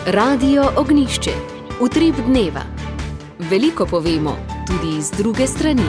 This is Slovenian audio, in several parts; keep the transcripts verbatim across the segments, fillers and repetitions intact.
Radio Ognjišče. Utrip dneva. Veliko povemo, tudi iz druge strani.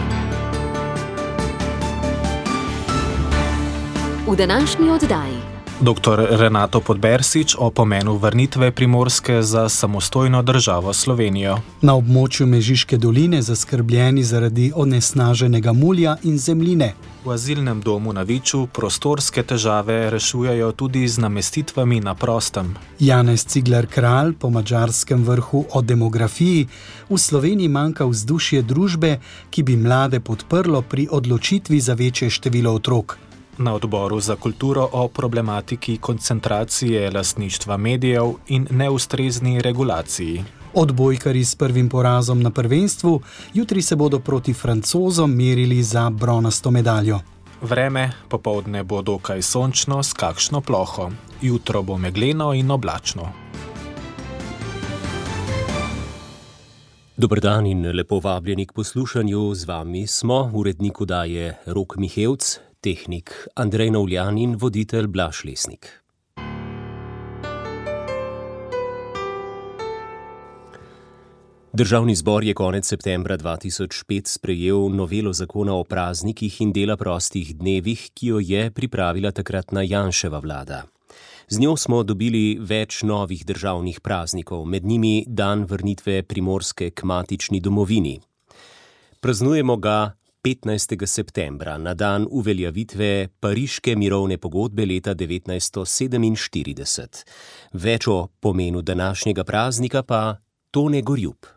V današnji oddaji doktor Renato Podbersič o pomenu vrnitve Primorske za samostojno državo Slovenijo. Na območju Mežiške doline zaskrbljeni zaradi onesnaženega mulja in zemljine. V azilnem domu na Viču prostorske težave rešujejo tudi z namestitvami na prostem. Janez Cigler Kralj po madžarskem vrhu o demografiji. V Sloveniji manjka vzdušje družbe, ki bi mlade podprlo pri odločitvi za večje število otrok. Na odboru za kulturo o problematiki koncentracije lastništva medijev in neustrezni regulaciji. Odbojkarji s prvim porazom na prvenstvu, jutri se bodo proti Francozom merili za bronasto medaljo. Vreme, popoldne bo dokaj sončno s kakšno ploho. Jutro bo megleno in oblačno. Dober dan in lepo vabljeni k poslušanju. Z vami smo, urednik oddaje Rok Mihevc, tehnik Andrej Novljan in voditelj Blaž Lesnik. Državni zbor je konec septembra dva tisoč pet sprejel novelo zakona o praznikih in dela prostih dnevih, ki jo je pripravila takratna Janševa vlada. Z njo smo dobili več novih državnih praznikov, med njimi dan vrnitve Primorske k matični domovini. Praznujemo ga petnajstega septembra, na dan uveljavitve Pariške mirovne pogodbe leta devetnajststo sedeminštirideset. Več o pomenu današnjega praznika pa Tone Gorjup.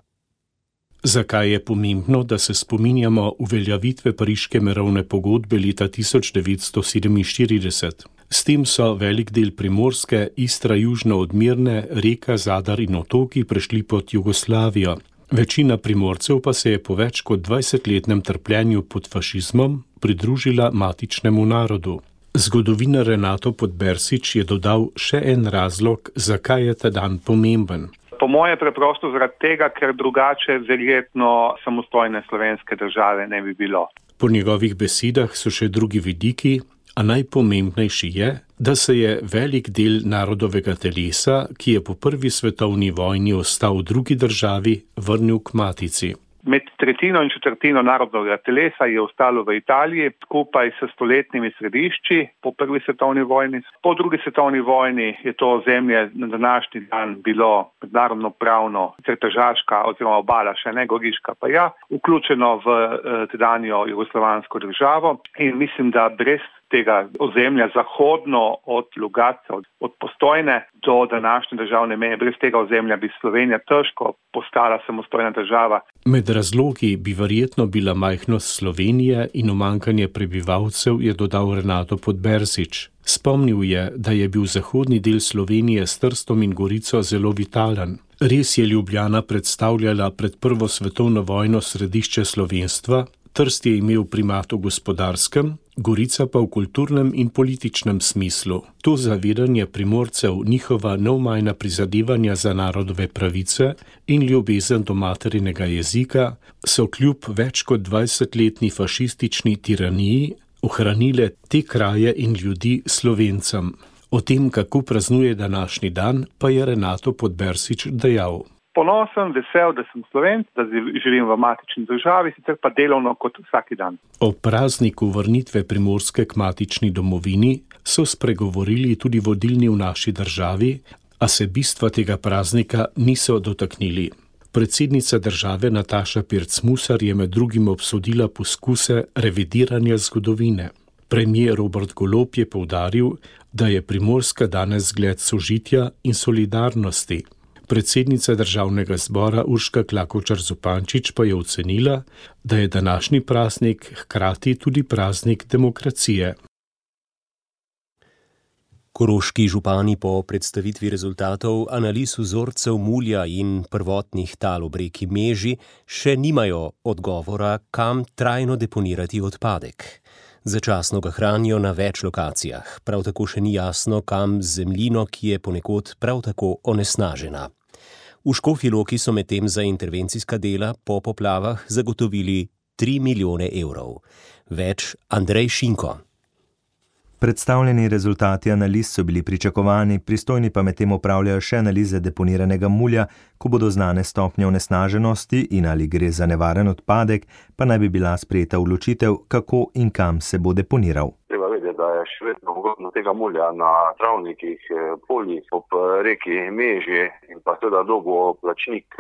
Zakaj je pomembno, da se spominjamo uveljavitve Pariške mirovne pogodbe leta tisoč devetsto sedeminštirideset? S tem so velik del Primorske, Istra južno od Mirne, Reka, Zadar in otoki prešli pod Jugoslavijo. Večina Primorcev pa se je po več kot dvajsetletnem trpljenju pod fašizmom pridružila matičnemu narodu. Zgodovinar Renato Podbersič je dodal še en razlog, zakaj je ta dan pomemben. Po moje preprosto zaradi tega, ker drugače verjetno samostojne slovenske države ne bi bilo. Po njegovih besedah so še drugi vidiki, a najpomembnejši je, da se je velik del narodovega telesa, ki je po prvi svetovni vojni ostal v drugi državi, vrnil k matici. Med tretjino in četrtino narodovega telesa je ostalo v Italiji, skupaj s stoletnimi središči po prvi svetovni vojni. Po drugi svetovni vojni je to ozemlje na današnji dan bilo mednarodno pravno Tržaška oziroma obala, še ne Goriška pa ja, vključeno v tedanjo jugoslovansko državo in mislim, da brez tega ozemlja zahodno od Logatca, od, od Postojne do današnje državne meje. Brez tega ozemlja bi Slovenija težko postala samostojna država. Med razlogi bi verjetno bila majhnost Slovenije in umanjkanje prebivalcev, je dodal Renato Podbersič. Spomnil je, da je bil zahodni del Slovenije s Trstom in Gorico zelo vitalen. Res je Ljubljana predstavljala pred prvo svetovno vojno središče slovenstva, Trst je imel primat v gospodarskem, Gorica pa v kulturnem in političnem smislu. To zavedanje Primorcev, njihova neomajna prizadevanja za narodove pravice in ljubezen do materinega jezika so kljub več kot dvajsetletni fašistični tiraniji ohranile te kraje in ljudi Slovencem. O tem, kako praznuje današnji dan, pa je Renato Podbersič dejal. Ponosen, vesel, da sem Slovenc, da živim v matični državi, sicer pa delovno kot vsaki dan. O prazniku vrnitve Primorske k matični domovini so spregovorili tudi vodilni v naši državi, a se bistva tega praznika niso dotaknili. Predsednica države Nataša Pirc Musar je med drugim obsodila poskuse revidiranja zgodovine. Premier Robert Golob je poudaril, da je Primorska danes zgled sožitja in solidarnosti. Predsednica državnega zbora Urška Klakočar Zupančič pa je ocenila, da je današnji praznik hkrati tudi praznik demokracije. Koroški župani po predstavitvi rezultatov analiz vzorcev mulja in prvotnih tal ob reki Meži še nimajo odgovora, kam trajno deponirati odpadek. Začasno ga hranijo na več lokacijah, prav tako še ni jasno, kam zemljino, ki je ponekod prav tako onesnažena. V Škofji Loki so medtem za intervencijska dela po poplavah zagotovili tri milijone evrov. Več Andrej Šinko. Predstavljeni rezultati analiz so bili pričakovani, pristojni pa medtem opravljajo še analize deponiranega mulja, ko bodo znane stopnje onesnaženosti in ali gre za nevaren odpadek, pa naj bi bila sprejeta odločitev, kako in kam se bo deponiral. Treba vedeti, da je še vedno ugodno tega mulja na travnikih, poljih, ob reki Meži in pa seveda dobo plačnik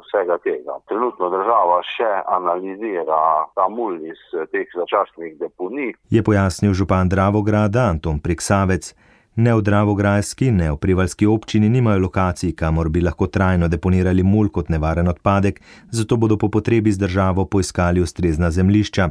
vsega tega. Trenutno država še analizira ta mulj iz teh začasnih deponij. Je pojasnil župan Dravograda Anton Priksavec. Ne v Dravograjski, ne v Prevaljski občini nimajo lokacij, kamor bi lahko trajno deponirali mulj kot nevaren odpadek, zato bodo po potrebi z državo poiskali ustrezna zemljišča.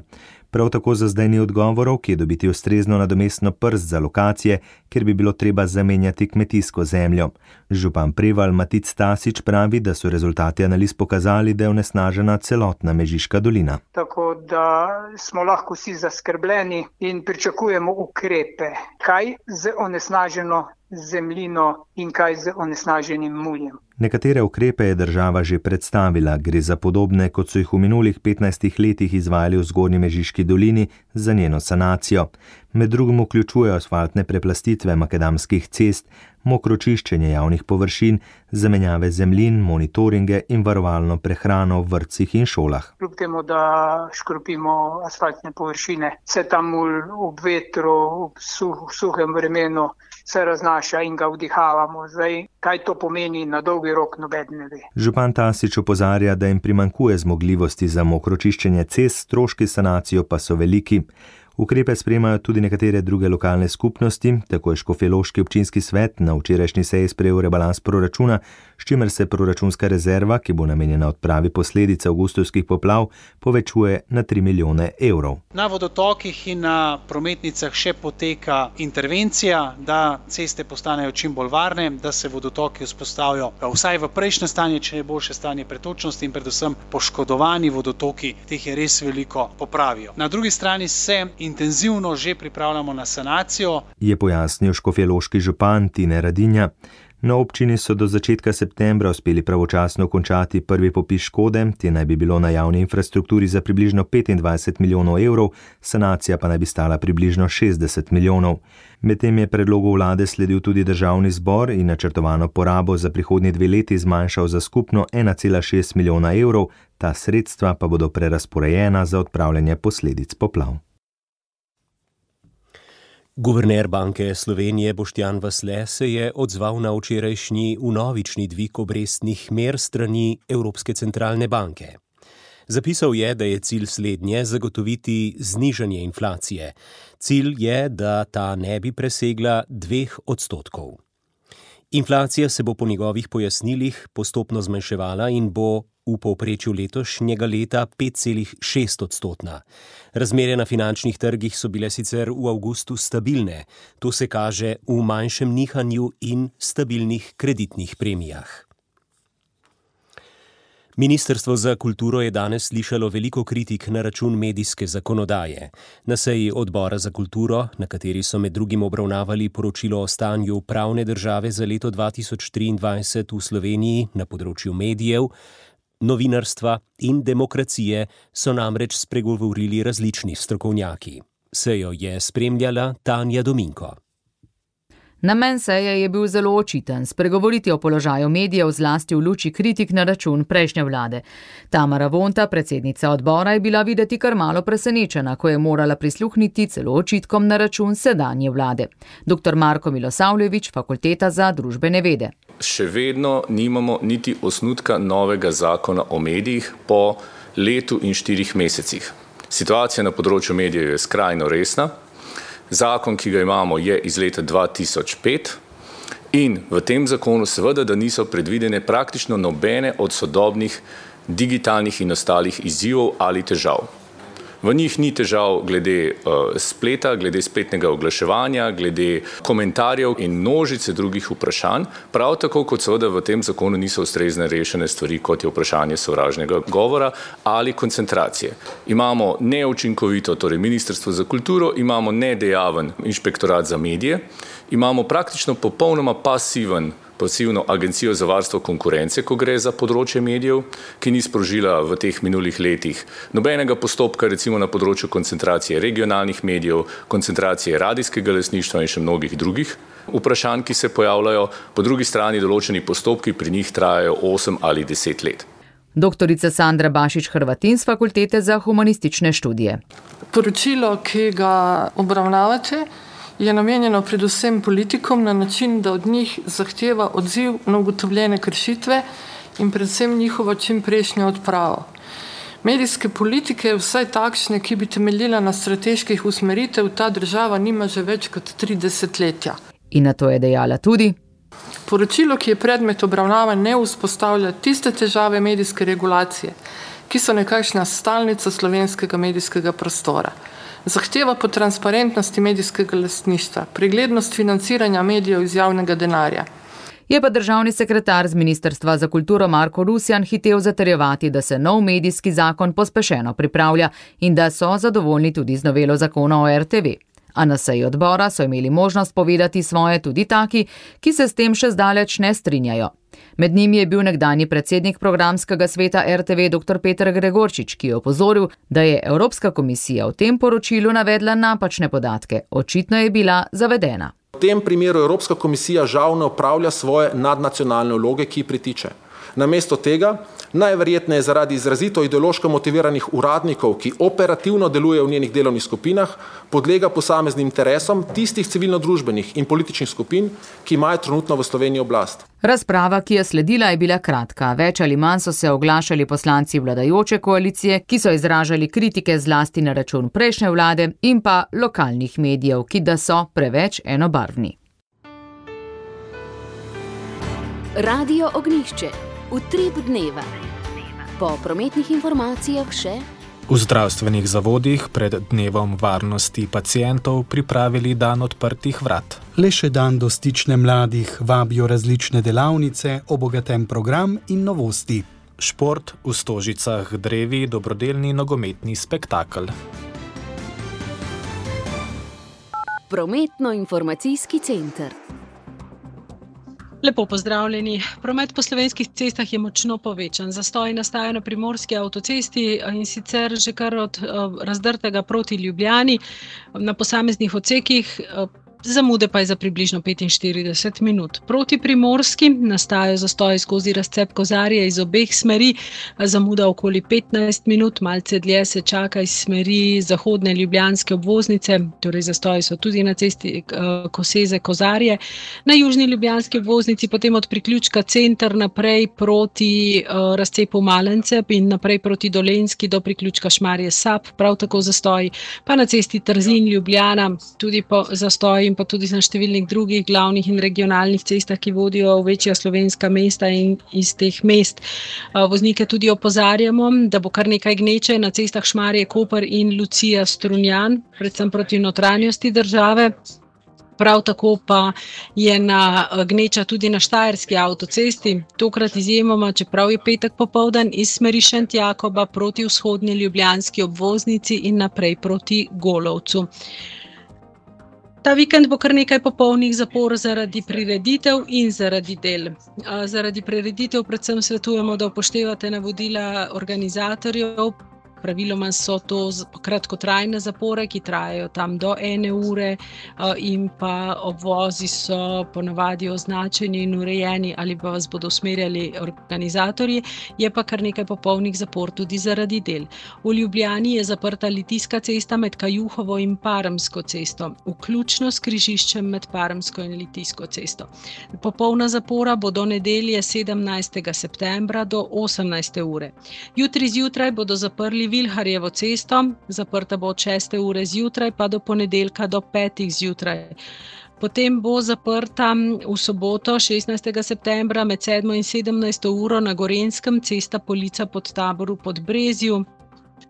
Prav tako za zdaj ni odgovorov, kje dobiti ustrezno nadomestno prst za lokacije, ker bi bilo treba zamenjati kmetijsko zemljo. Župan Prevalj Matic Stasič pravi, da so rezultati analiz pokazali, da je onesnažena celotna Mežiška dolina. Tako da smo lahko vsi zaskrbljeni in pričakujemo ukrepe, kaj z onesnaženo zemljino in kaj z onesnaženim muljem. Nekatere ukrepe je država že predstavila, gre za podobne, kot so jih v minulih petnajstih letih izvajali v Zgornji Mežiški dolini za njeno sanacijo. Med drugim vključujejo asfaltne preplastitve makadamskih cest, mokro čiščenje javnih površin, zamenjave zemljin, monitoringe in varovalno prehrano v vrtcih in šolah. Kljub temu, da škropimo asfaltne površine, se ta mulj ob vetru, ob suh, suhem vremenu se raznaša in ga vdihavamo. Zdaj, kaj to pomeni na dolgi rok, noben ne ve. Župan Tasič opozarja, da jim primanjkuje zmogljivosti za mokro čiščenje cest, stroški sanacijo pa so veliki. Ukrepe sprejemajo tudi nekatere druge lokalne skupnosti, tako je Škofjeloški občinski svet na včerajšnji seji sprejel rebalans proračuna, s čimer se proračunska rezerva, ki bo namenjena odpravi posledic avgustovskih poplav, povečuje na tri milijone evrov. Na vodotokih in na prometnicah še poteka intervencija, da ceste postanejo čim bolj varne, da se vodotoki vzpostavijo vsaj v prejšnje stanje, če je boljše stanje pretočnosti in predvsem poškodovani vodotoki, teh je res veliko, popravijo. Na drugi strani se intenzivno že pripravljamo na sanacijo. Je pojasnil škofjeloški župan Tine Radinja. Na občini so do začetka septembra uspeli pravočasno končati prvi popis škode, te naj bi bilo na javni infrastrukturi za približno petindvajset milijonov evrov, sanacija pa naj bi stala približno šestdeset milijonov. Medtem je predlogu vlade sledil tudi državni zbor in načrtovano porabo za prihodnji dve leti zmanjšal za skupno ena cela šest milijona evrov, ta sredstva pa bodo prerazporejena za odpravljanje posledic poplav. Guverner Banke Slovenije Boštjan Vasle se je odzval na včerajšnji vnovični dvig obrestnih mer strani Evropske centralne banke. Zapisal je, da je cilj slednje zagotoviti znižanje inflacije. Cilj je, da ta ne bi presegla dveh odstotkov. Inflacija se bo po njegovih pojasnilih postopno zmanjševala in bo v povprečju letošnjega leta pet celih šest odstotna. Razmere na finančnih trgih so bile sicer v avgustu stabilne. To se kaže v manjšem nihanju in stabilnih kreditnih premijah. Ministrstvo za kulturo je danes slišalo veliko kritik na račun medijske zakonodaje. Na seji odbora za kulturo, na kateri so med drugim obravnavali poročilo o stanju pravne države za leto dva tisoč triindvajset v Sloveniji na področju medijev, novinarstva in demokracije, so namreč spregovorili različni strokovnjaki. Sejo je spremljala Tanja Dominko. Namen seje je bil zelo očiten, spregovoriti o položaju medijev zlasti v luči kritik na račun prejšnje vlade. Tamara Vonta, predsednica odbora, je bila videti kar malo presenečena, ko je morala prisluhniti celo očitkom na račun sedanje vlade. Doktor Marko Milosavljević, Fakulteta za družbene vede. Še vedno nimamo niti osnutka novega zakona o medijih po letu in štirih mesecih. Situacija na področju medijev je skrajno resna. Zakon, ki ga imamo, je iz leta dva tisoč pet in v tem zakonu seveda, da niso predvidene praktično nobene od sodobnih digitalnih in ostalih izzivov ali težav. V njih ni težav glede uh, spleta, glede spletnega oglaševanja, glede komentarjev in množice drugih vprašanj, prav tako kot seveda v tem zakonu niso ustrezne rešene stvari, kot je vprašanje sovražnega govora ali koncentracije. Imamo neučinkovito, torej Ministrstvo za kulturo, imamo nedejaven inšpektorat za medije, imamo praktično popolnoma pasiven pasivno agencijo za varstvo konkurence, ko gre za področje medijev, ki ni sprožila v teh minulih letih nobenega postopka, recimo na področju koncentracije regionalnih medijev, koncentracije radijskega lastništva in še mnogih drugih vprašanj, ki se pojavljajo. Po drugi strani določeni postopki pri njih trajajo osem ali deset let. Doktorica Sandra Bašič-Hrvatin z Fakultete za humanistične študije. Poročilo, ki ga obravnavate, je namenjeno predvsem politikom na način, da od njih zahteva odziv na ugotovljene kršitve in predvsem njihovo čimprejšnjo odpravo. Medijske politike, vsaj takšne, ki bi temeljila na strateških usmeritev, ta država nima že več kot tri desetletja. In na to je dejala tudi: Poročilo, ki je predmet obravnave, ne vzpostavlja tiste težave medijske regulacije, ki so nekakšna stalnica slovenskega medijskega prostora. Zahteva po transparentnosti medijskega lastništva, preglednost financiranja medijev iz javnega denarja. Je pa državni sekretar z Ministrstva za kulturo Marko Rusjan hitel zatrjevati, da se nov medijski zakon pospešeno pripravlja in da so zadovoljni tudi z novelo zakona o er te ve. A na seji odbora so imeli možnost povedati svoje tudi taki, ki se s tem še zdaleč ne strinjajo. Med njimi je bil nekdanji predsednik programskega sveta er te ve doktor Peter Gregorčič, ki je opozoril, da je Evropska komisija v tem poročilu navedla napačne podatke. Očitno je bila zavedena. V tem primeru Evropska komisija žal ne opravlja svoje nadnacionalne vloge, ki ji pritiče. Namesto tega, najverjetneje zaradi izrazito ideološko motiviranih uradnikov, ki operativno delujejo v njenih delovnih skupinah, podlega posameznim interesom tistih civilno-družbenih in političnih skupin, ki imajo trenutno v Sloveniji oblast. Razprava, ki je sledila, je bila kratka. Več ali manj so se oglašali poslanci vladajoče koalicije, ki so izražali kritike zlasti na račun prejšnje vlade in pa lokalnih medijev, ki da so preveč enobarvni. Radio Ognjišče. Utrip dneva. Po prometnih informacijah še: V zdravstvenih zavodih pred dnevom varnosti pacientov pripravili dan odprtih vrat. Le še dan dostične mladih, vabijo različne delavnice, obogaten program in novosti. Šport v Stožicah drevi, dobrodelni nogometni spektakel. Prometno-informacijski center. Lepo pozdravljeni. Promet po slovenskih cestah je močno povečan. Zastoji nastajajo na primorski avtocesti in sicer že kar od Razdrtega proti Ljubljani na posameznih odsekih. Zamude pa je za približno petinštirideset minut. Proti primorski nastajajo zastoji skozi razcep Kozarje iz obeh smeri, zamuda okoli petnajst minut, malce dlje se čaka iz smeri zahodne ljubljanske obvoznice, torej zastoji so tudi na cesti Koseze-Kozarje. Na južni ljubljanski obvoznici potem od priključka Center naprej proti uh, razcepu Malence in naprej proti Dolenjski do priključka Šmarje-Sap, prav tako zastoji, pa na cesti Trzin-Ljubljana tudi po zastoji, pa tudi na številnih drugih glavnih in regionalnih cestah, ki vodijo v večja slovenska mesta in iz teh mest. Voznike tudi opozarjamo, da bo kar nekaj gneče na cestah Šmarje, Koper in Lucija Strunjan, predvsem proti notranjosti države. Prav tako pa je na gneča tudi na štajerski avtocesti, tokrat izjemoma, čeprav je petek popoldan, iz smeri Šentjakoba proti vzhodni ljubljanski obvoznici in naprej proti Golovcu. Ta vikend bo kar nekaj popolnih zapor zaradi prireditev in zaradi del. Zaradi prireditev predvsem svetujemo, da upoštevate navodila organizatorjev. Praviloma so to kratkotrajne zapore, ki trajajo tam do ene ure in pa obvozi so ponavadi označeni in urejeni ali pa vas bodo usmerjali organizatorji, je pa kar nekaj popolnih zapor tudi zaradi del. V Ljubljani je zaprta Litijska cesta med Kajuhovo in Parmsko cesto, vključno s križiščem med Parmsko in Litijsko cesto. Popolna zapora bo do nedelje sedemnajstega septembra do osemnajste ure. Jutri zjutraj bodo zaprli Vilharjevo cesto, zaprta bo od šeste ure zjutraj pa do ponedeljka do petih zjutraj. Potem bo zaprta v soboto šestnajstega septembra med sedmo in sedemnajsto uro na Gorenjskem cesta Polica pod Taboru pod Brezju.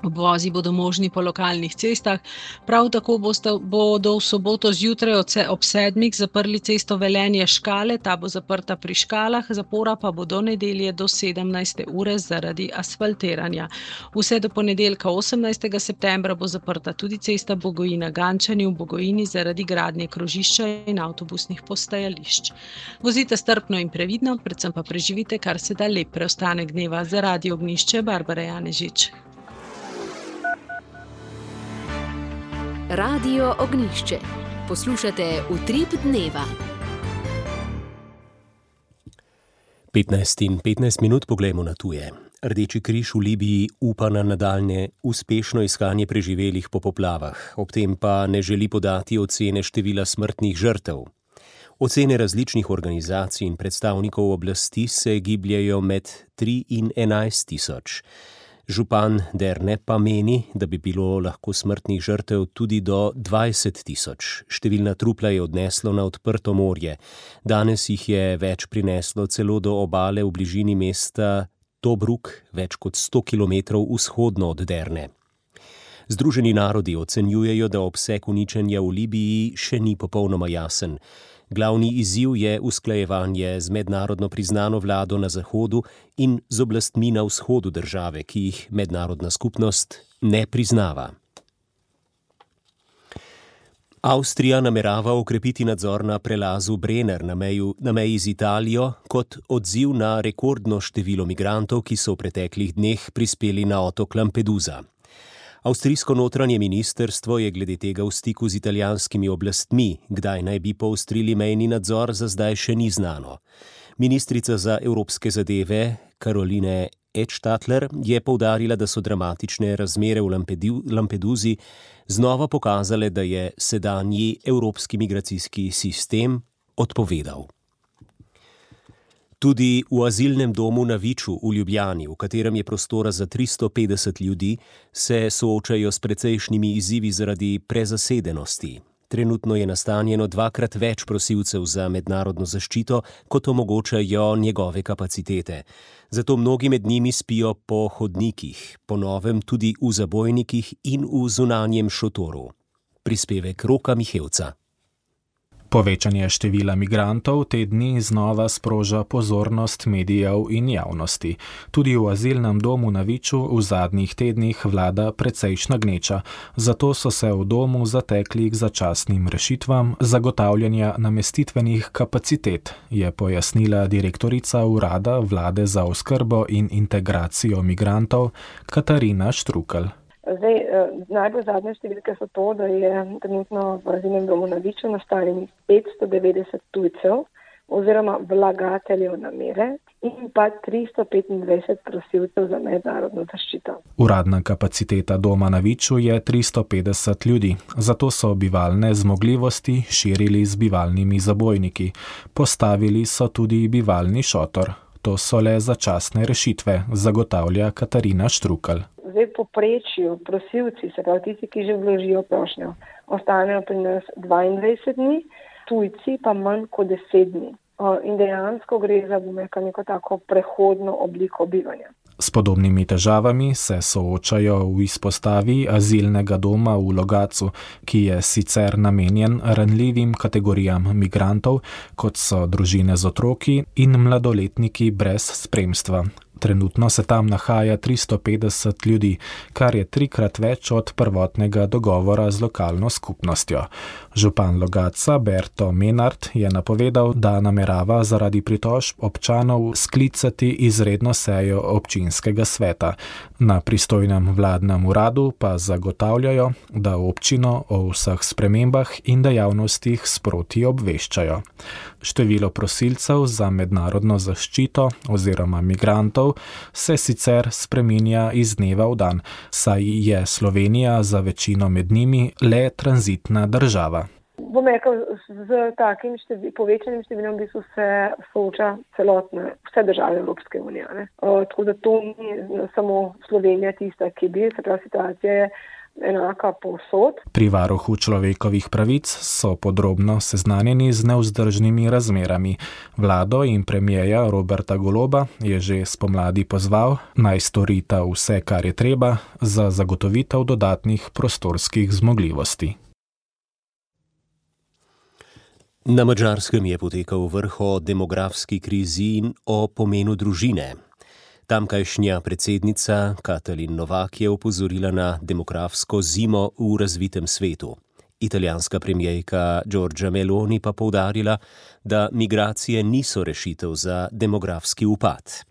Obvozi bodo možni po lokalnih cestah. Prav tako boste, bodo v soboto zjutraj ob sedmih zaprli cesto Velenje Škale, ta bo zaprta pri Škalah, zapora pa bo do nedelje do sedemnajste ure zaradi asfaltiranja. Vse do ponedeljka osemnajstega septembra bo zaprta tudi cesta Bogojina-Gančani v Bogojini zaradi gradnje krožišča in avtobusnih postajališč. Vozite strpno in previdno, predvsem pa preživite kar se da lep preostanek dneva. Za Radio Ognjišče, Barbara Janežič. Radio Ognjišče. Poslušate Utrip dneva. petnajst in petnajst minut poglejmo na tuje. Rdeči križ v Libiji upa na nadaljnje uspešno iskanje preživelih po poplavah, ob tem pa ne želi podati ocene števila smrtnih žrtev. Ocene različnih organizacij in predstavnikov oblasti se gibljajo med tri in enajst tisoč. Župan Derne pa meni, da bi bilo lahko smrtnih žrtev tudi do dvajset tisoč. Številna trupla je odneslo na odprto morje. Danes jih je več prineslo celo do obale v bližini mesta Tobruk, več kot sto kilometrov vzhodno od Derne. Združeni narodi ocenjujejo, da obseg uničenja v Libiji še ni popolnoma jasen. Glavni izziv je usklajevanje z mednarodno priznano vlado na zahodu in z oblastmi na vzhodu države, ki jih mednarodna skupnost ne priznava. Avstrija namerava okrepiti nadzor na prelazu Brenner na, meju, na meji z Italijo kot odziv na rekordno število migrantov, ki so v preteklih dneh prispeli na otok Lampedusa. Avstrijsko notranje ministrstvo je glede tega v stiku z italijanskimi oblastmi, kdaj naj bi poostrili mejni nadzor, za zdaj še ni znano. Ministrica za evropske zadeve Caroline Edstadler je poudarila, da so dramatične razmere v Lampeduzi znova pokazale, da je sedanji evropski migracijski sistem odpovedal. Tudi v azilnem domu na Viču v Ljubljani, v katerem je prostora za tristo petdeset ljudi, se soočajo s precejšnjimi izzivi zaradi prezasedenosti. Trenutno je nastanjeno dvakrat več prosilcev za mednarodno zaščito, kot omogočajo njegove kapacitete. Zato mnogi med njimi spijo po hodnikih, po novem tudi v zabojnikih in v zunanjem šotoru. Prispevek Roka Mihevca. Povečanje števila migrantov te dni znova sproža pozornost medijev in javnosti. Tudi v azilnem domu na Viču v zadnjih tednih vlada precejšna gneča, zato so se v domu zatekli k začasnim rešitvam zagotavljanja namestitvenih kapacitet, je pojasnila direktorica urada vlade za oskrbo in integracijo migrantov Katarina Štrukelj. Zdaj, najbolj zadnje številke so to, da je trenutno v azilnem domu na Viču nastanjenih petsto devetdeset tujcev oziroma vlagateljev namere in pa tristo petindvajset prosilcev za mednarodno zaščito. Uradna kapaciteta doma na Viču je tristo petdeset ljudi, zato so bivalne zmogljivosti širili z bivalnimi zabojniki. Postavili so tudi bivalni šotor. To so le začasne rešitve, zagotavlja Katarina Štrukelj. Zdaj po prečju prosilci, se pravi tisti, ki že vložijo prošnjo, ostanejo pri nas dvaindvajset dni, tujci pa manj kot deset dni. In dejansko gre za, bom rekel, neko tako prehodno obliko bivanja. S podobnimi težavami se soočajo v izpostavi azilnega doma v Logatcu, ki je sicer namenjen ranljivim kategorijam migrantov, kot so družine z otroki in mladoletniki brez spremstva. Trenutno se tam nahaja tristo petdeset ljudi, kar je trikrat več od prvotnega dogovora z lokalno skupnostjo. Župan Logatca Berto Menard je napovedal, da namerava zaradi pritožb občanov sklicati izredno sejo občinskega sveta. Na pristojnem vladnem uradu pa zagotavljajo, da občino o vseh spremembah in dejavnostih sproti obveščajo. Število prosilcev za mednarodno zaščito oziroma migrantov se sicer spreminja iz dneva v dan, saj je Slovenija za večino med njimi le tranzitna država. Bom rekel, z takim števil, povečanim številom v bistvu se sooča celotne vse države Evropske unije. Ne? O, tako da to ni samo Slovenija tista, ki bi, se pravi situacija je enaka povsod. Pri varuhu človekovih pravic so podrobno seznanjeni z nevzdržnimi razmerami. Vlado in premierja Roberta Goloba je že spomladi pozval, naj storita vse, kar je treba, za zagotovitev dodatnih prostorskih zmogljivosti. Na Madžarskem je potekal vrh o demografski krizi in o pomenu družine. Tamkajšnja predsednica Katalin Novak je opozorila na demografsko zimo v razvitem svetu. Italijanska premijerka Giorgia Meloni pa poudarila, da migracije niso rešitev za demografski upad.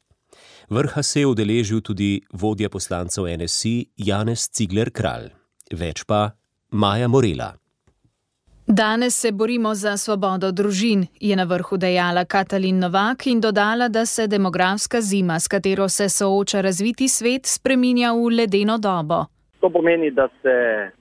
Vrha se je udeležil tudi vodja poslancev N S I Janez Cigler Kralj. Več pa Maja Morela. Danes se borimo za svobodo družin, je na vrhu dejala Katalin Novak in dodala, da se demografska zima, s katero se sooča razviti svet, spreminja v ledeno dobo. To pomeni, da se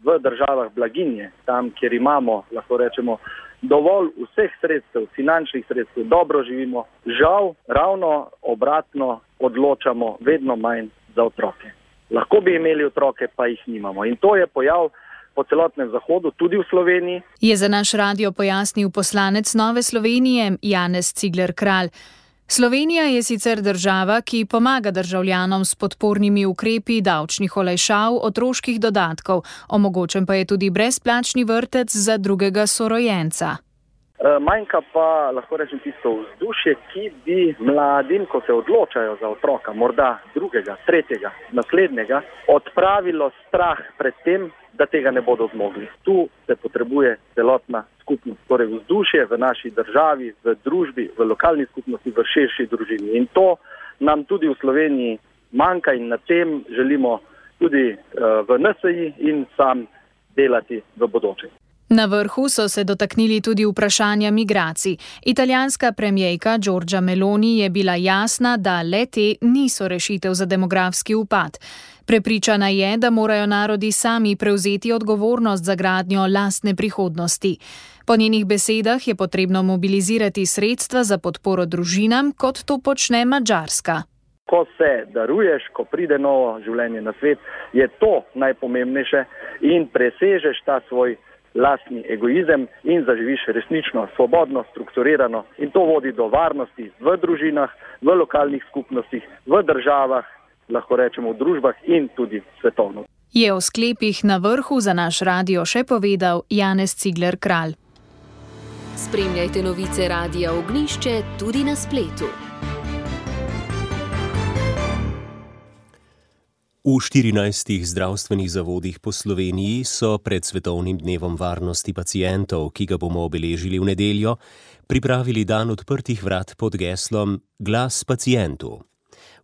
v državah blaginje, tam, kjer imamo, lahko rečemo, dovolj vseh sredstev, finančnih sredstev, dobro živimo, žal ravno obratno odločamo vedno manj za otroke. Lahko bi imeli otroke, pa jih nimamo. In to je pojav po celotnem zahodu, tudi v Sloveniji. Je za naš radio pojasnil poslanec Nove Slovenije Janez Cigler Kralj. Slovenija je sicer država, ki pomaga državljanom s podpornimi ukrepi davčnih olajšav, otroških dodatkov, omogočen pa je tudi brezplačni vrtec za drugega sorojenca. Manjka pa, lahko rečem, tisto vzdušje, ki bi mladim, ko se odločajo za otroka, morda drugega, tretjega, naslednjega, odpravilo strah pred tem, da tega ne bodo zmogli. Tu se potrebuje celotna skupnost, torej vzdušje v naši državi, v družbi, v lokalni skupnosti, v širši družini. In to nam tudi v Sloveniji manjka in na tem želimo tudi v N S I in sam delati v bodoče. Na vrhu so se dotaknili tudi vprašanja migracij. Italijanska premijerka Giorgia Meloni je bila jasna, da le te niso rešitev za demografski upad. Prepričana je, da morajo narodi sami prevzeti odgovornost za gradnjo lastne prihodnosti. Po njenih besedah je potrebno mobilizirati sredstva za podporo družinam, kot to počne Madžarska. Ko se daruješ, ko pride novo življenje na svet, je to najpomembnejše in presežeš ta svoj lastni egoizem in zaživiš resnično, svobodno, strukturirano in to vodi do varnosti v družinah, v lokalnih skupnostih, v državah, lahko rečemo v družbah in tudi svetovno. Je o sklepih na vrhu za naš radio še povedal Janez Cigler Kralj. Spremljajte novice Radia Ognjišče tudi na spletu. V štirinajstih zdravstvenih zavodih po Sloveniji so pred Svetovnim dnevom varnosti pacientov, ki ga bomo obeležili v nedeljo, pripravili dan odprtih vrat pod geslom Glas pacientu.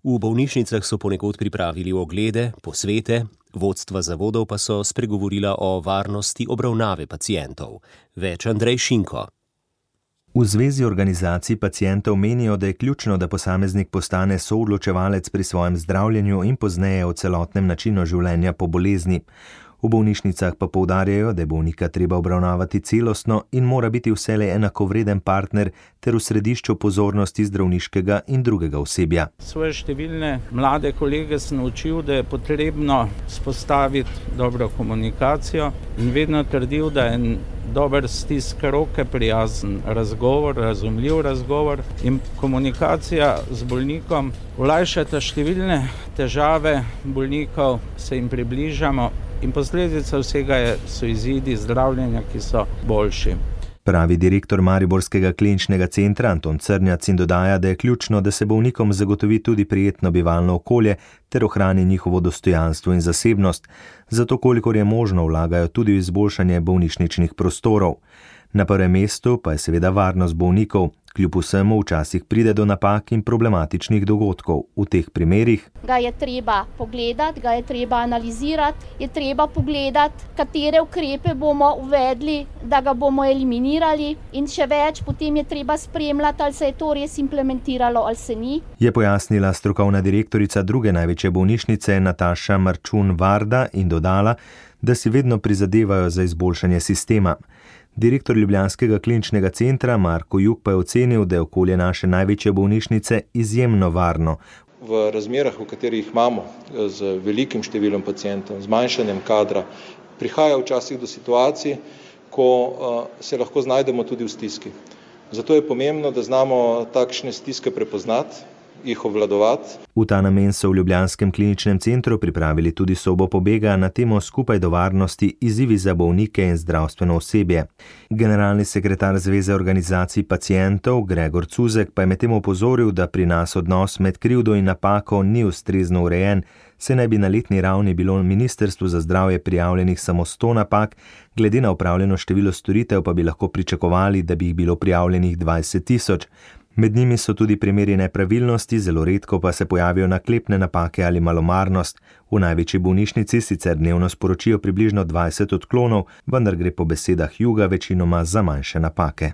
V bolnišnicah so ponekod pripravili oglede, posvete, vodstva zavodov pa so spregovorila o varnosti obravnave pacientov. Več Andrej Šinko. V Zvezi organizacij pacientov menijo, da je ključno, da posameznik postane soodločevalec pri svojem zdravljenju in pozneje o celotnem načinu življenja po bolezni. V bolnišnicah pa poudarjajo, da je bolnika treba obravnavati celostno in mora biti vselej enakovreden partner ter v središču pozornosti zdravniškega in drugega osebja. Svoje številne mlade kolege sem naučil, da je potrebno spostaviti dobro komunikacijo in vedno trdil, da je dober stisk roke, prijazen razgovor, razumljiv razgovor in komunikacija z bolnikom olajšata številne težave bolnikov, se jim približamo in posledica vsega je, so izidi zdravljenja, ki so boljši. Pravi direktor Mariborskega kliničnega centra Anton Crnjac in dodaja, da je ključno, da se bolnikom zagotovi tudi prijetno bivalno okolje ter ohrani njihovo dostojanstvo in zasebnost, zato kolikor je možno vlagajo tudi v izboljšanje bolnišničnih prostorov. Na prvem mestu pa je seveda varnost bolnikov, kljub vsemu včasih pride do napak in problematičnih dogodkov. V teh primerih ga je treba pogledati, ga je treba analizirati, je treba pogledati, katere ukrepe bomo uvedli, da ga bomo eliminirali in še več, potem je treba spremljati, ali se je to res implementiralo ali se ni. Je pojasnila strokovna direktorica druge največje bolnišnice Nataša Marčun Varda in dodala, da si vedno prizadevajo za izboljšanje sistema. Direktor ljubljanskega kliničnega centra Marko Juk pa je ocenil, da je okolje naše največje bolnišnice izjemno varno. v razmerah, v katerih imamo z velikim številom pacientov, zmanjšanjem kadra, prihaja včasih do situacij, ko se lahko znajdemo tudi v stiski. Zato je pomembno, da znamo takšne stiske prepoznati, jih obvladovati. V ta namen so v ljubljanskem kliničnem centru pripravili tudi sobo pobega na temo Skupaj do varnosti, izzivi za bolnike in zdravstveno osebje. Generalni sekretar Zveze organizacij pacientov Gregor Cuzek pa je medtem opozoril, da pri nas odnos med krivdo in napako ni ustrezno urejen, se naj bi na letni ravni bilo Ministrstvu za zdravje prijavljenih samo sto napak, glede na opravljeno število storitev pa bi lahko pričakovali, da bi jih bilo prijavljenih dvajset tisoč. Med njimi so tudi primeri nepravilnosti, zelo redko pa se pojavijo naklepne napake ali malomarnost. V največji bolnišnici sicer dnevno sporočijo približno dvajset odklonov, vendar gre po besedah Juga večinoma za manjše napake.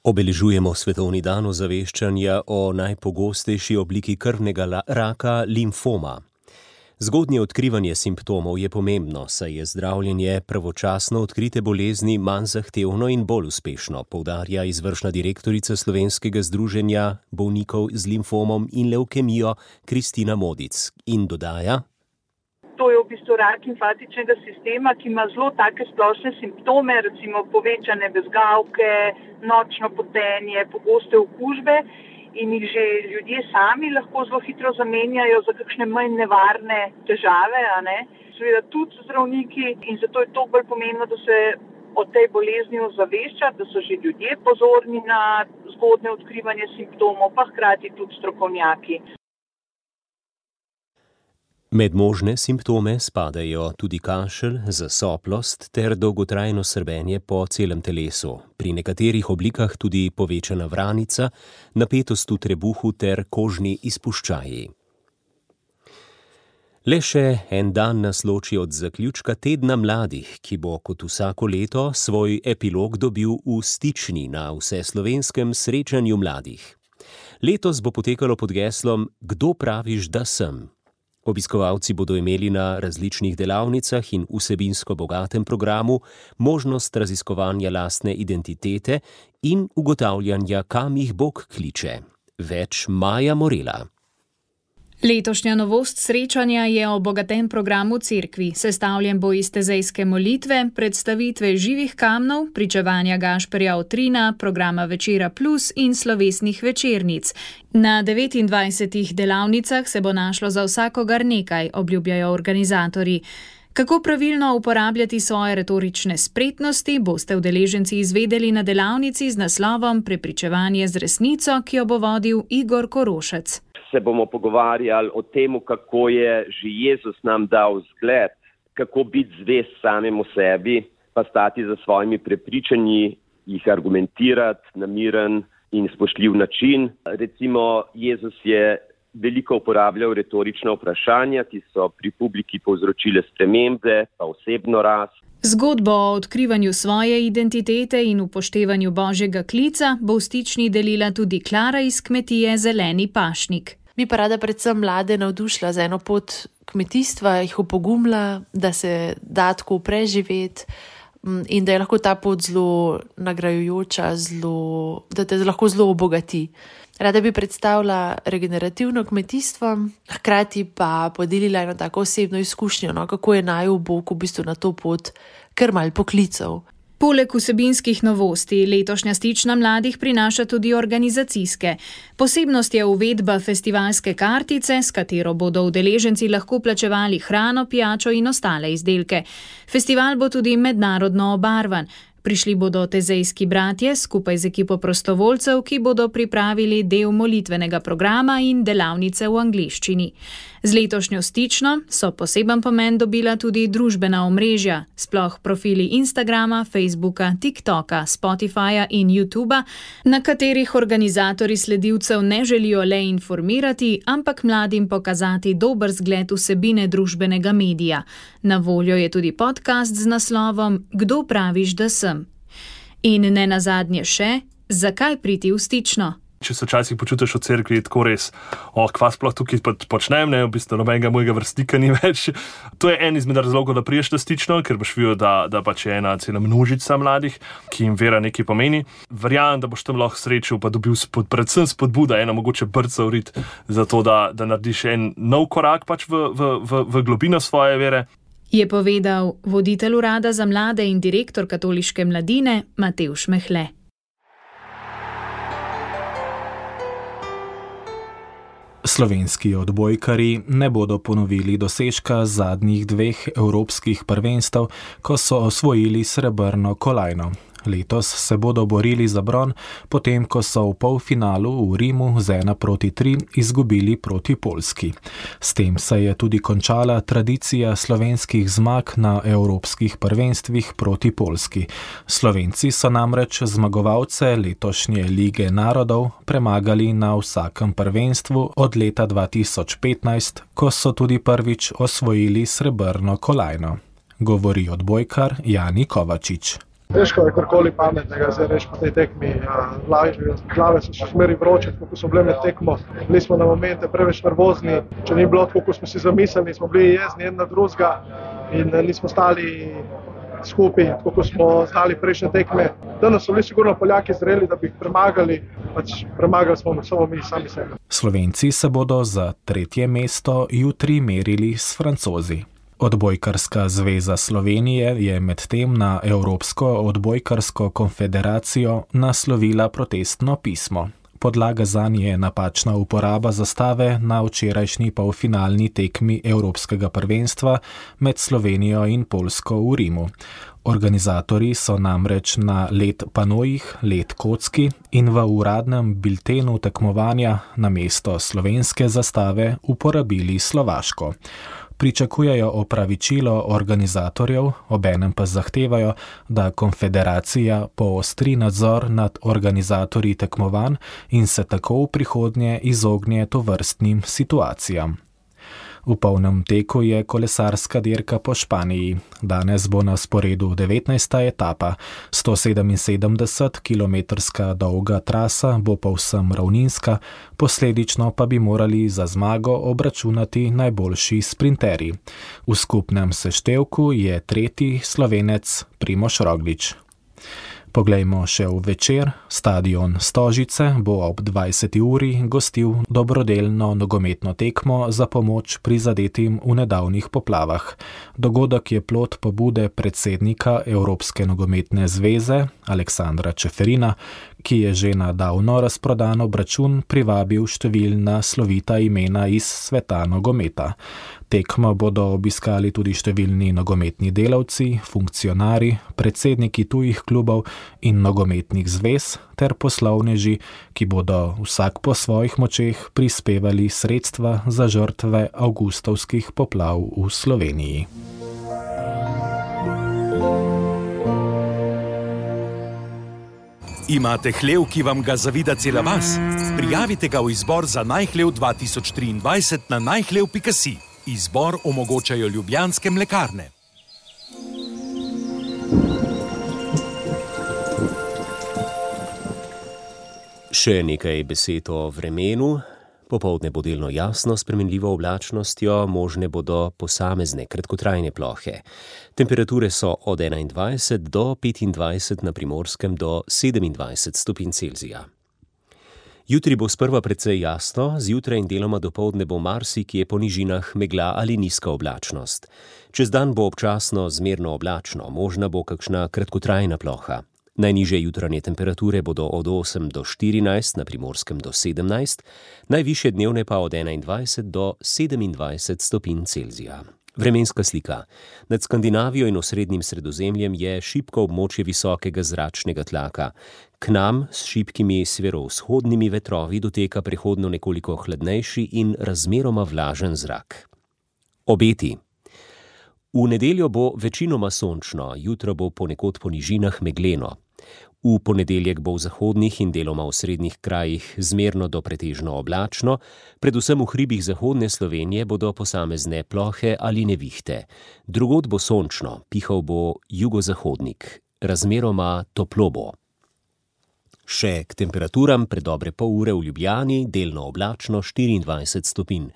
Obeležujemo svetovni dan ozaveščanja o najpogostejši obliki krvnega raka limfoma. Zgodnje odkrivanje simptomov je pomembno, saj je zdravljenje pravočasno odkrite bolezni manj zahtevno in bolj uspešno, poudarja izvršna direktorica Slovenskega združenja bolnikov z limfomom in levkemijo Kristina Modic in dodaja: To je v bistvu rak limfatičnega sistema, ki ima zelo take splošne simptome, recimo povečane bezgavke, nočno potenje, pogoste okužbe. In jih že ljudje sami lahko zelo hitro zamenjajo za kakšne manj nevarne težave, a ne? Seveda tudi zdravniki, in zato je to bolj pomembno, da se o tej bolezni ozavešča, da so že ljudje pozorni na zgodnje odkrivanje simptomov, pa hkrati tudi strokovnjaki. Med možne simptome spadajo tudi kašelj, zasoplost ter dolgotrajno srbenje po celem telesu. Pri nekaterih oblikah tudi povečana vranica, napetost v trebuhu ter kožni izpuščaji. Le še en dan nas loči od zaključka tedna mladih, ki bo kot vsako leto svoj epilog dobil v Stični na vseslovenskem srečanju mladih. Letos bo potekalo pod geslom Kdo praviš, da sem? Obiskovalci bodo imeli na različnih delavnicah in vsebinsko bogatem programu možnost raziskovanja lastne identitete in ugotavljanja, kam jih Bog kliče. Več Maja Morela. Letošnja novost srečanja je o bogatem programu cerkvi. Sestavljen bo iz tezejske molitve, predstavitve živih kamnov, pričevanja Gašperja Otrina, programa Večera plus in slovesnih večernic. Na devetindvajsetih delavnicah se bo našlo za vsakogar nekaj, obljubljajo organizatorji. Kako pravilno uporabljati svoje retorične spretnosti, boste udeleženci izvedeli na delavnici z naslovom Prepričevanje z resnico, ki jo bo vodil Igor Korošec. Se bomo pogovarjali o tem, kako je že Jezus nam dal zgled, kako biti zvest samemu sebi, pa stati za svojimi prepričanji, jih argumentirati na miren in spoštljiv način. Recimo, Jezus je veliko uporabljal retorična vprašanja, ki so pri publiki povzročile spremembe, pa osebno rast. Zgodbo o odkrivanju svoje identitete in upoštevanju božjega klica bo v Stični delila tudi Klara iz kmetije Zeleni pašnik. Bi pa rada predvsem mlade navdušila za eno pot kmetijstva, jih opogumila, da se da tako preživeti in da je lahko ta pot zelo nagrajujoča, zelo, da te lahko zelo obogati. Rada bi predstavila regenerativno kmetijstvo, hkrati pa podelila eno tako osebno izkušnjo, no, kako je naju Bog v bistvu na to pot kar mal poklical. Poleg vsebinskih novosti letošnja Stična mladih prinaša tudi organizacijske. Posebnost je uvedba festivalske kartice, s katero bodo udeleženci lahko plačevali hrano, pijačo in ostale izdelke. Festival bo tudi mednarodno obarvan. Prišli bodo tezejski bratje skupaj z ekipo prostovoljcev, ki bodo pripravili del molitvenega programa in delavnice v angleščini. Z letošnjo Stično so poseben pomen dobila tudi družbena omrežja, sploh profili Instagrama, Facebooka, TikToka, Spotifyja in YouTuba, na katerih organizatorji sledilcev ne želijo le informirati, ampak mladim pokazati dober zgled vsebine družbenega medija. Na voljo je tudi podcast z naslovom Kdo praviš, da sem? In ne nazadnje še, zakaj priti v Stično? če se včasih počutiš v cerkvi, tako res, o, kva sploh tukaj počnem, ne, v bistvu nobenega mojega vrstnika ni več. To je en izmed razlogov, da priješ na stično, ker boš videl, da, da pač je ena cela množica mladih, ki jim vera nekaj pomeni. Verjamem, da boš tam lahko srečal, pa dobil spod, predvsem spodbuda, eno mogoče brca urit, za to, da, da narediš en nov korak pač v, v, v, v globino svoje vere. Je povedal voditelj urada za mlade in direktor katoliške mladine Matevž Mehle. Slovenski odbojkarji ne bodo ponovili dosežka zadnjih dveh evropskih prvenstev, ko so osvojili srebrno kolajno. Letos se bodo borili za bron, potem ko so v polfinalu v Rimu z ena proti tri izgubili proti Poljski. S tem se je tudi končala tradicija slovenskih zmag na evropskih prvenstvih proti Poljski. Slovenci so namreč zmagovalce letošnje Lige narodov premagali na vsakem prvenstvu od leta dva tisoč petnajst, ko so tudi prvič osvojili srebrno kolajno. Govori odbojkar Jani Kovačič. Težko je karkoli pametnega, zdaj reč po tej tekmi. Glave so še zmeri vroče, kako so bile med tekmo. Bili smo na momente preveč nervozni, če ni bilo tako, kot smo si zamislili, smo bili jezni en na drugega in nismo stali skupaj, tako kot smo znali prejšnje tekme. Danes so bili sigurno Poljaki zreli, da bi jih premagali, pač premagali smo samo mi sami sebe. Slovenci se bodo za tretje mesto jutri merili s Francozi. Odbojkarska zveza Slovenije je medtem na Evropsko odbojkarsko konfederacijo naslovila protestno pismo. Podlaga zanje je napačna uporaba zastave na včerajšnji polfinalni tekmi Evropskega prvenstva med Slovenijo in Poljsko v Rimu. Organizatorji so namreč na led panojih, led kocki in v uradnem biltenu tekmovanja namesto slovenske zastave uporabili slovaško. Pričakujejo opravičilo organizatorjev, obenem pa zahtevajo, da konfederacija poostri nadzor nad organizatorji tekmovanj in se tako v prihodnje izogne tovrstnim situacijam. V polnem teku je kolesarska dirka po Španiji. Danes bo na sporedu devetnajsta etapa. sto sedeminsedemdeset kilometrska dolga trasa bo povsem ravninska, posledično pa bi morali za zmago obračunati najboljši sprinterji. V skupnem seštevku je tretji Slovenec Primož Roglič. Poglejmo še v večer. Stadion Stožice bo ob dvajseti uri gostil dobrodelno nogometno tekmo za pomoč prizadetim v nedavnih poplavah. Dogodek je plod pobude predsednika Evropske nogometne zveze Aleksandra Čeferina, ki je že na davno razprodan obračun privabil številna slovita imena iz sveta nogometa. Tekmo bodo obiskali tudi številni nogometni delavci, funkcionari, predsedniki tujih klubov in nogometnih zvez ter poslovneži, ki bodo vsak po svojih močeh prispevali sredstva za žrtve avgustovskih poplav v Sloveniji. Imate hlev, ki vam ga zavida cela vas? Prijavite ga v izbor za najhlev dva tisoč triindvajset na najhlev pika si. Izbor omogočajo Ljubljanske mlekarne. Še nekaj besed o vremenu. Popoldne bo delno jasno, s spremenljivo oblačnostjo, možne bodo posamezne kratkotrajne plohe. Temperature so od enaindvajset do petindvajset, na Primorskem do sedemindvajset stopinj Celzija. Jutri bo sprva precej jasno, zjutraj in deloma dopoldne bo marsikje po nižinah megla ali nizka oblačnost. Čez dan bo občasno zmerno oblačno, možna bo kakšna kratkotrajna ploha. Najnižje jutranje temperature bodo od osem do štirinajst, na Primorskem do sedemnajst, najvišje dnevne pa od enaindvajset do sedemindvajset stopinj Celzija. Vremenska slika. Nad Skandinavijo in osrednjim Sredozemljem je šibko območje visokega zračnega tlaka. K nam s šibkimi severovzhodnimi vetrovi doteka prehodno nekoliko hladnejši in razmeroma vlažen zrak. Obeti. V nedeljo bo večinoma sončno, jutro bo ponekod po nižinah megleno. V ponedeljek bo v zahodnih in deloma v srednjih krajih zmerno do pretežno oblačno, predvsem v hribih zahodne Slovenije bodo posamezne plohe ali nevihte. Drugod bo sončno, pihal bo jugozahodnik, razmeroma toplo bo. Še k temperaturam pred dobre pol ure v Ljubljani, delno oblačno štiriindvajset stopinj.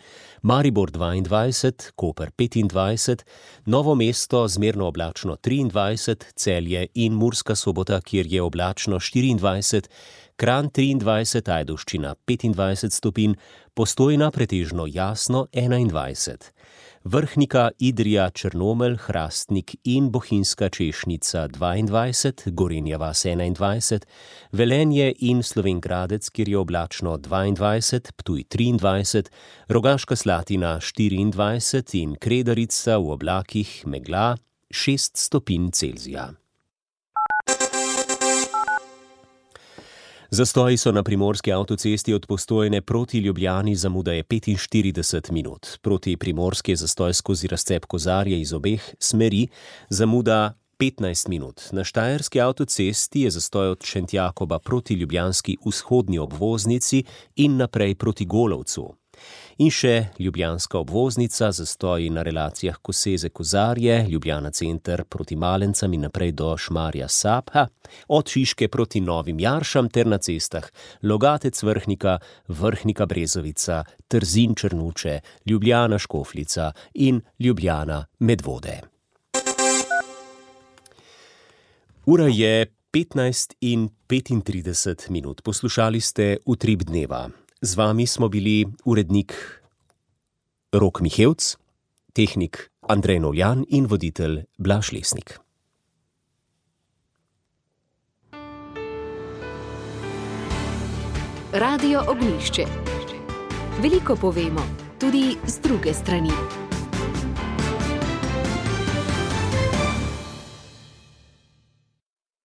Maribor dvaindvajset, Koper petindvajset, Novo mesto zmerno oblačno triindvajset, Celje in Murska Sobota, kjer je oblačno štiriindvajset, Kranj triindvajset, Ajdovščina petindvajset stopinj, Postojna pretežno jasno enaindvajset. Vrhnika, Idrija, Črnomelj, Hrastnik in Bohinjska Češnica dvaindvajset, Gorenja vas enaindvajset, Velenje in Slovenj Gradec, kjer je oblačno dvaindvajset, Ptuj triindvajset, Rogaška Slatina štiriindvajset in Kredarica v oblakih megla šest stopinj Celzija. Zastoji so na primorski avtocesti od Postojne proti Ljubljani, zamuda je petinštirideset minut. Proti primorski je zastoj skozi razcep Kozarje iz obeh smeri, zamuda petnajst minut. Na štajerski avtocesti je zastoj od Šentjakoba proti ljubljanski vzhodni obvoznici in naprej proti Golovcu. In še ljubljanska obvoznica, zastoji na relacijah Koseze-Kozarje, Ljubljana center proti Malencam in naprej do Šmarja-Sapha, od Šiške proti Novim Jaršam ter na cestah Logatec-Vrhnika, Vrhnika-Brezovica, Trzin-Črnuče, Ljubljana-Škofljica in Ljubljana-Medvode. Ura je petnajst in petintrideset minut. Poslušali ste Utrip dneva. Z vami smo bili urednik Rok Mihevc, tehnik Andrej Novljan in voditelj Blaž Lesnik. Radio Ognjišče. Veliko povemo, tudi z druge strani.